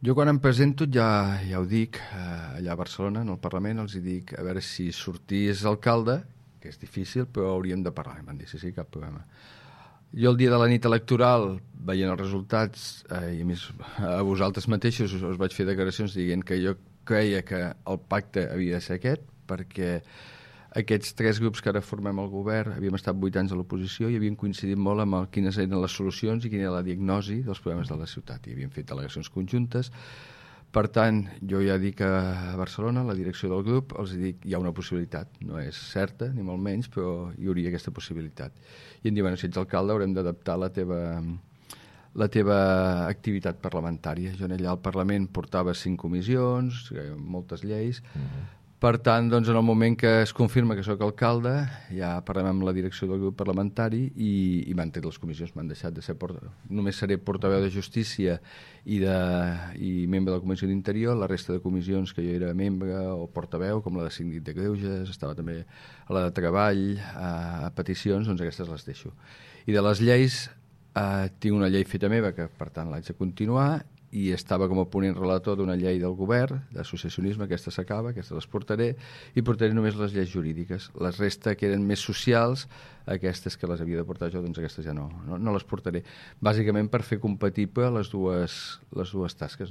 Jo quan em presento ja ho dic, allà a Barcelona, en el Parlament, els dic a veure si sortís alcalde, que és difícil, però hauríem de parlar. Em van dir, sí, cap problema. Jo el dia de la nit electoral, veient els resultats, i a més a vosaltres mateixos us vaig fer declaracions dient que jo creia que el pacte havia de ser aquest, perquè aquests tres grups que ara formem el govern havíem estat 8 anys a l'oposició i havien coincidit molt amb quines eren les solucions i quina era la diagnosi dels problemes de la ciutat. I havíem fet delegacions conjuntes. Per tant, jo ja dic a Barcelona, la direcció del grup, els dic, hi ha una possibilitat, no és certa, ni molt menys, però hi hauria aquesta possibilitat. I em diuen, si ets alcalde haurem d'adaptar la teva activitat parlamentària. Jo allà al Parlament portava 5 comissions, moltes lleis. Per tant, doncs, en el moment que es confirma que sóc alcalde, ja parlem amb la direcció del grup parlamentari i m'han tret les comissions, m'han deixat de ser només seré portaveu de Justícia i membre de la Comissió d'Interior. La resta de comissions que jo era membre o portaveu, com la de Síndic de Greuges, estava també a la de Treball, a peticions, doncs aquestes les deixo. I de les lleis, tinc una llei feta meva que, per tant, l'haig de continuar, i estava com a ponent relator d'una llei del govern d'associacionisme, aquesta s'acaba, aquesta les portaré, i portaré només les lleis jurídiques. Les resta que eren més socials, aquestes que les havia de portar jo, doncs aquestes ja no les portaré, bàsicament per fer compatible les dues tasques.